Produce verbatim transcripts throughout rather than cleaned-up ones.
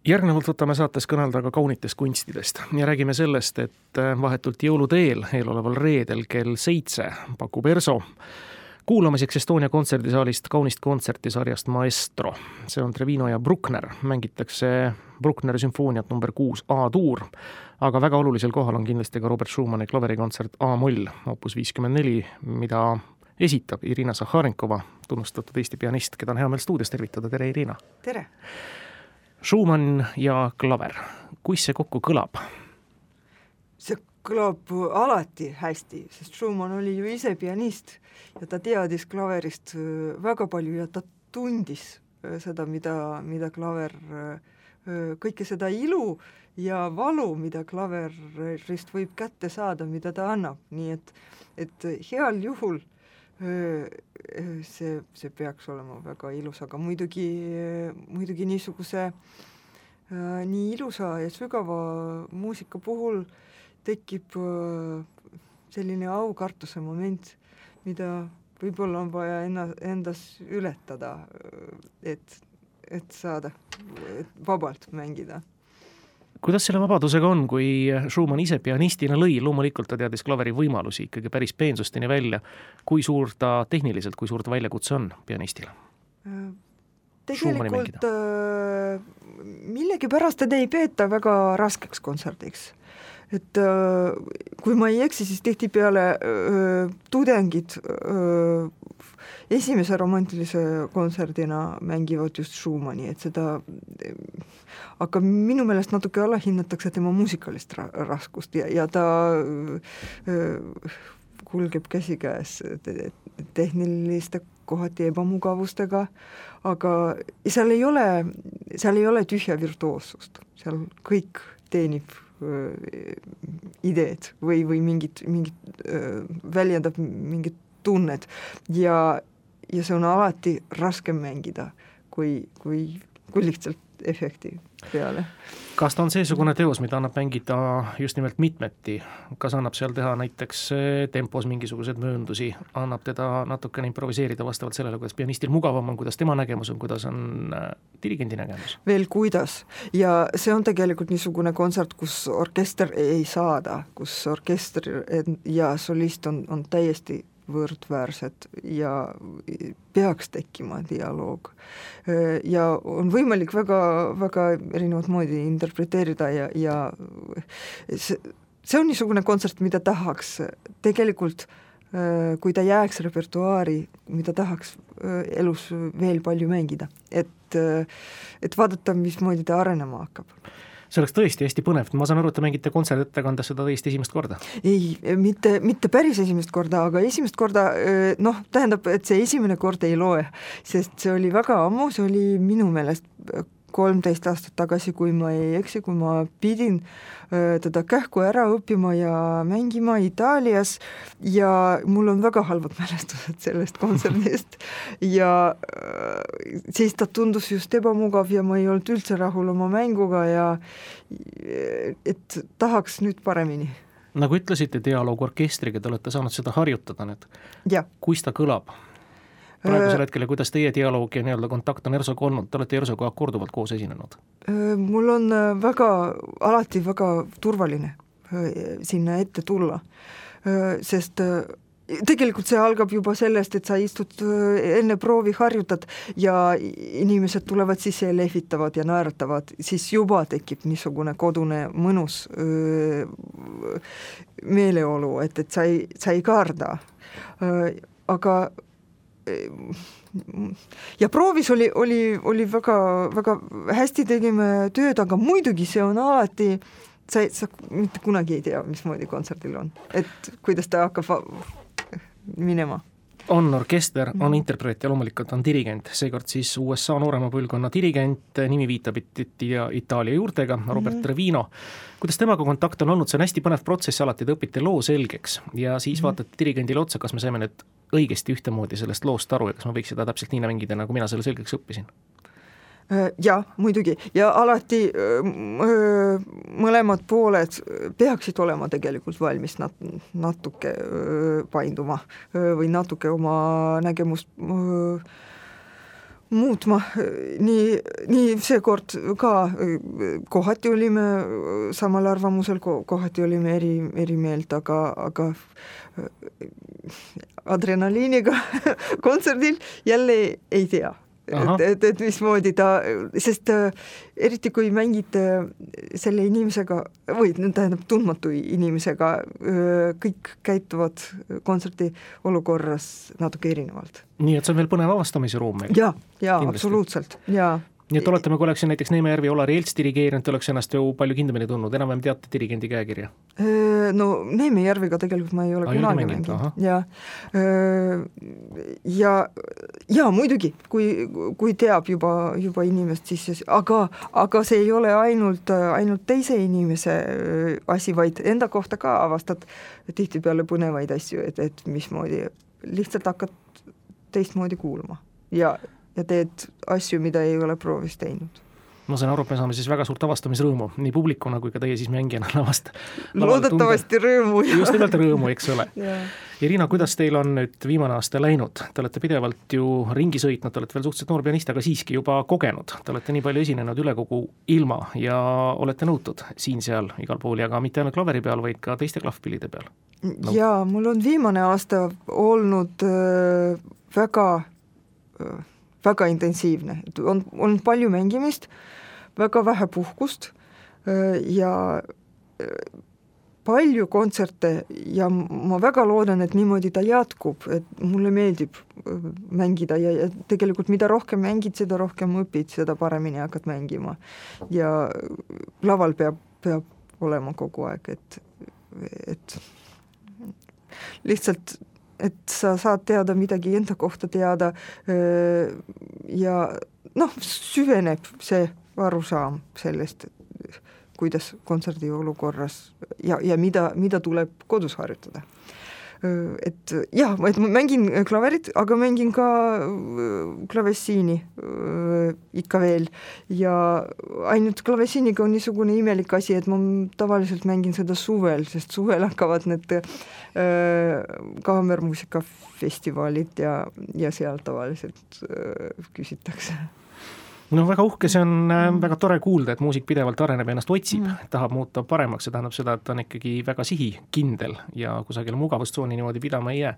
Järgnevalt võtame saates kõnelda ka kaunitest kunstidest ja räägime sellest, et vahetult jõuluteel eeloleval reedel kell seitse pakub ERSO kuulamiseks Estonia kontserdisaalist kaunist kontserti sarjast Maestro. See on Trevino ja Bruckner, mängitakse Bruckneri sümfooniat number kuus A-tuur, aga väga olulisel kohal on kindlasti ka Robert Schumani klaverikontsert A-moll, opus viiskümmend neli, mida esitab Irina Sakharenkova, tunnustatud Eesti pianist, keda on hea meel stuudios tervitada. Tere, Irina! Tere! Schumann ja klaver. Kuis see kokku kõlab? See kõlab alati hästi, sest Schumann oli ju ise pianist ja ta teadis klaverist väga palju ja ta tundis seda, mida, mida klaver, kõike seda ilu ja valu, mida klaverist võib kätte saada, mida ta annab. Nii et, et heal juhul see, see peaks olema väga ilus, aga muidugi, muidugi niisuguse nii ilusa ja sügava muusika puhul tekib selline aukartuse moment, mida võib-olla on vaja enna, endas ületada, et, et saada et vabalt mängida. Kuidas selle vabadusega on, kui Schumann ise pianistina lõi, loomulikult ta teadis klaveri võimalusi ikkagi päris peensusteni välja, kui suur ta tehniliselt, kui suur ta väljakutse on pianistile? Tegelikult äh, millegi pärast teda ei peeta väga raskeks kontserdiks. Et äh, kui ma ei eksi, siis tihti peale äh, tudengid äh, esimese romantilise kontserdina mängivad just Schumanni, et seda aga minu meelest natuke alahinnatakse tema muusikalist ra- raskust ja, ja ta äh, kulgeb käsikäes tehniliste kohati ebamugavustega, aga seal ei ole, seal ei ole tühja virtuoossust, seal kõik teenib äh, ideed või, või mingid, mingid äh, väljendab mingid tunned ja, ja see on alati raskem mängida kui, kui, kui lihtsalt efekti peale. Kas ta on seesugune teos, mida annab mängida just nimelt mitmeti? Kas annab seal teha näiteks tempos mingisugused mööndusi? Annab teda natukene improviseerida vastavalt sellele, kuidas pianistil mugavam on, kuidas tema nägemus on, kuidas on dirigendi nägemus? Veel kuidas. Ja see on tegelikult niisugune kontsert, kus orkester ei saada, kus orkester ja solist on, on täiesti võrdväärsed ja peaks tekkima dialoog. Ja on võimalik väga, väga erinevat moodi interpreteerida ja, ja see, see on niisugune kontsert, mida tahaks tegelikult, kui ta jääks repertuaari, mida tahaks elus veel palju mängida, et, et vaadata, mismoodi ta arenema hakkab. See oleks tõesti hästi põnev. Ma saan aru, et te mängite kontsertettekandes seda tõesti esimest korda. Ei, mitte, mitte päris esimest korda, aga esimest korda, noh, tähendab, et see esimene kord ei loe, sest see oli väga ammu, see oli minu meelest kolmteist aastat tagasi, kui ma ei eksi, kui ma pidin teda kähku ära õppima ja mängima Itaalias ja mul on väga halvad mälestused sellest kontserdist ja siis ta tundus just ebamugav ja ma ei olnud üldse rahul oma mänguga ja et tahaks nüüd paremini. Nagu ütlesite, dialoog orkestriga, te olete saanud seda harjutada nüüd. Ja. Kuis ta kõlab? Praegusel hetkel, kuidas teie dialoog ja nii-öelda kontakt on ERSOga olnud? Te olete ERSOga korduvalt koos esinenud. Mul on väga, alati väga turvaline sinna ette tulla, sest tegelikult see algab juba sellest, et sa istud enne proovi, harjutad ja inimesed tulevad sisse ja lehvitavad ja naeratavad, siis juba tekib niisugune kodune mõnus meeleolu, et, et sa ei, sa ei karda. Aga ja proovis oli, oli, oli väga, väga hästi tegime tööd, aga muidugi see on alati, sa, sa mitte kunagi ei tea, mismoodi kontserdil on, et kuidas ta hakkab minema. On orkester, on interpreet ja loomulikult on dirigent, seekord siis U S A noorema põlvkonna dirigent, nimi viitab Itaalia juurtega, Robert mm-hmm. Trevino. Kuidas temaga kontakt on olnud? See on hästi põnev protsess, alati te õpite loo selgeks ja siis mm-hmm. vaatate dirigendile otsa, kas me saime nüüd õigesti ühtemoodi sellest loost aru ja kas ma võiks seda täpselt nii mängida, nagu mina selle selgeks õppisin? Ja, muidugi. Ja alati öö, mõlemad pooled peaksid olema tegelikult valmis nat- natuke öö, painduma öö, või natuke oma nägemust öö, muutma, nii, nii seekord ka kohati olime samal arvamusel, kohati olime eri, eri meelt, aga, aga adrenaliiniga kontserdil jälle ei tea. Et, et, et mismoodi ta, sest eriti kui mängite selle inimesega või tähendab tundmatu inimesega, kõik käituvad kontserti olukorras natuke erinevalt. Nii, et see on veel põnev avastamise ruum meil. Ja, ja absoluutselt, ja. Nii et oletame, kui oleks näiteks Neemejärvi Olari Elts dirigeerinud, oleks ennast ju palju kindlamini tundnud, enam-vähem teate dirigendi käekirja? No Neemejärviga tegelikult ma ei ole kunagi mänginud. Ja, ja, ja muidugi, kui, kui teab juba, juba inimest, siis, aga, aga see ei ole ainult, ainult teise inimese asi, vaid enda kohta ka avastad tihti peale põnevaid asju, et, et mismoodi lihtsalt hakkad teistmoodi kuulma ja ja teed asju, mida ei ole proovis teinud. Ma saan aru, et me saame siis väga suurt avastamisrõõmu, nii publikuna kui ka teie siis mängijana lavast. Loodetavasti rõõmu. Just nimelt rõõmu, eks ole. Ja. Irina, kuidas teil on nüüd viimane aasta läinud? Te olete pidevalt ju ringi sõitnud, te olete veel suhteliselt noor pianist, aga siiski juba kogenud. Te olete nii palju esinenud üle kogu ilma ja olete nõutud siin-seal igal pool ja ka mitte ainult klaveri peal, vaid ka teiste klahvpillide peal. No. Ja mul on viimane aasta olnud äh, väga... Äh, väga intensiivne, on, on palju mängimist, väga vähe puhkust ja palju kontserte ja ma väga loodan, et niimoodi ta jätkub, et mulle meeldib mängida ja, ja tegelikult mida rohkem mängid, seda rohkem õpid, seda paremini hakkad mängima ja laval peab, peab olema kogu aeg, et, et lihtsalt et sa saad teada midagi enda kohta teada ja noh, süveneb see arusaam sellest, kuidas kontserdi olukorras ja, ja mida, mida tuleb kodus harjutada. Et jah, et ma mängin klaverit, aga mängin ka klavessiini ikka veel ja ainult klavessiiniga on niisugune imelik asi, et ma tavaliselt mängin seda suvel, sest suvel hakkavad need kaamermuusikafestivalid ja, ja seal tavaliselt küsitakse. No väga uhke, see on väga tore kuulda, et muusik pidevalt areneb ja ennast otsib, mm. tahab muuta paremaks, see tähendab seda, et ta on ikkagi väga sihikindel ja kusagil mugavustsooni niimoodi pidama ei jää.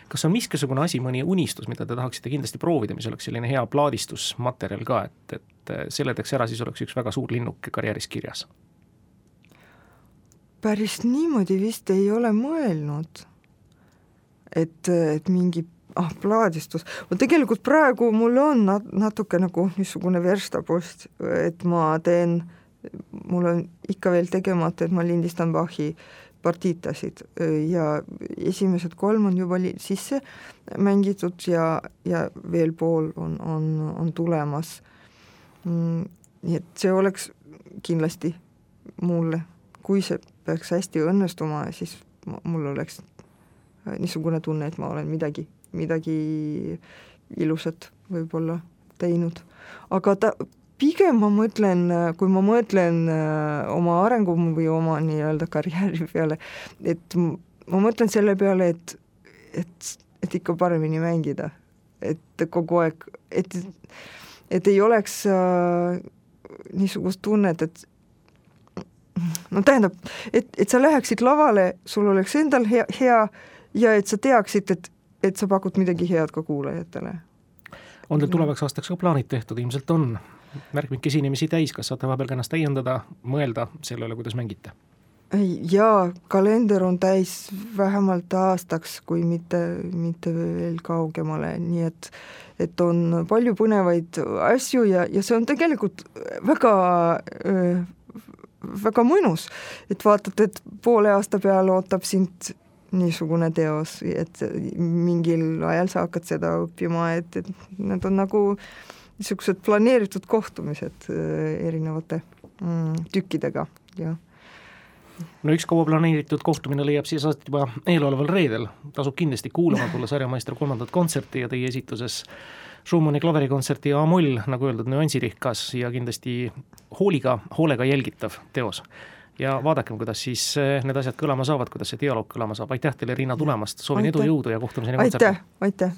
Kas on miskisugune asi, mõni unistus, mida te tahaksite kindlasti proovida, mis oleks selline hea plaadistusmaterjal ka, et, et seletaks ära, siis oleks üks väga suur linnuk karjääris kirjas? Päris niimoodi vist ei ole mõelnud, et, et mingi ah, plaadistus. Ma tegelikult praegu mul on natuke nagu niisugune verstapost, et ma teen, mul on ikka veel tegemata, et ma lindistan Bachi partiitasid ja esimesed kolm on juba li- sisse mängitud ja, ja veel pool on, on, on tulemas. Nii et see oleks kindlasti mulle, kui see peaks hästi õnnestuma, siis mul oleks niisugune tunne, et ma olen midagi midagi ilusat võib-olla teinud. Aga ta, pigem ma mõtlen, kui ma mõtlen oma arengu või oma nii-öelda karjääri peale, et ma mõtlen selle peale, et, et, et ikka paremini mängida. Et kogu aeg, et, et ei oleks äh, niisugust tunnet, et no tähendab, et, et sa läheksid lavale, sul oleks endal hea, hea ja et sa teaksid, et et sa pakud midagi head ka kuulajatele. On teil tulevaks aastaks ka plaanid tehtud, ilmselt on märkmik esinemisi täis, kas saate vahepeal ennast täiendada, mõelda sellele, kuidas mängite? Jaa, kalender on täis vähemalt aastaks, kui mitte, mitte veel kaugemale, nii et, et on palju põnevaid asju ja, ja see on tegelikult väga, väga mõnus, et vaatad, et poole aasta peale ootab sind niisugune teos, et mingil ajal sa hakkad seda õppima, et, et need on nagu niisugused planeeritud kohtumised erinevate mm, tükkidega. Ja. No üks kaua planeeritud kohtumine leiab siis juba eeloleval reedel. Tasub kindlasti kuulama tulla sarjameister kolmandat kontserti ja teie esituses Schumanni klaverikontserti A-moll, nagu öeldud, nüansirihkas ja kindlasti hooliga, hoolega jälgitav teos. Ja vaadakem, kuidas siis need asjad kõlama saavad, kuidas see dialoog kõlama saab. Aitäh teile, Riina, tulemast. Soovin aitäh. Edu, jõudu ja kohtumiseni kontserti. Aitäh, aitäh.